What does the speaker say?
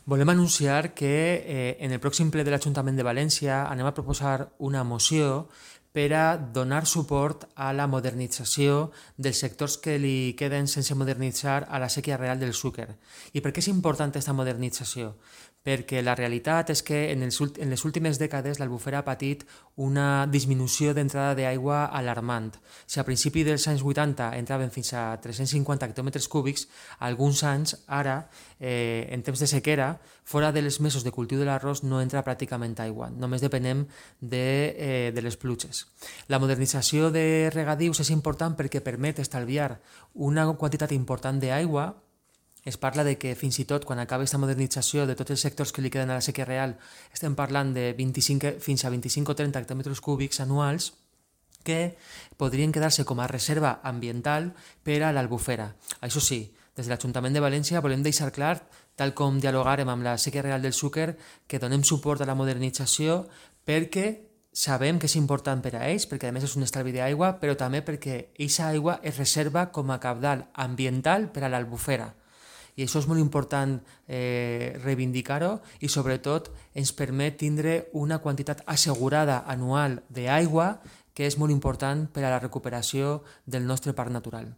Volem anunciar que en el pròxim ple de l'Ajuntament de València anem a proposar una moció per a donar suport a la modernització dels sectors que li queden sense modernitzar a la sèquia real del Xúquer. I per què és important aquesta modernització? Perquè la realitat és que en les últimes dècades l'Albufera ha patit una disminució d'entrada d'aigua alarmant. Si a principi dels anys 80 entraven fins a 350 hectòmetres cúbics, alguns anys ara, en temps de sequera, fora dels mesos de cultiu de l'arròs no entra pràcticament aigua, només depenem de les pluges. La modernització de regadius és important perquè permet estalviar una quantitat important d'aigua. Es parla de que fins i tot quan acabi aquesta modernització de tots els sectors que li queden a la sèquia real estem parlant de 25, fins a 25 o 30 hectòmetres cúbics anuals que podrien quedar-se com a reserva ambiental per a l'Albufera. Això sí, des de l'Ajuntament de València volem deixar clar, tal com dialogarem amb la sèquia real del Xúquer, que donem suport a la modernització perquè sabem que és important per a ells, perquè a més és un estalvi d'aigua, però també perquè aquesta aigua es reserva com a cabdal ambiental per a l'Albufera. I això és molt important reivindicar-ho i sobretot ens permet tindre una quantitat assegurada anual d'aigua que és molt important per a la recuperació del nostre parc natural.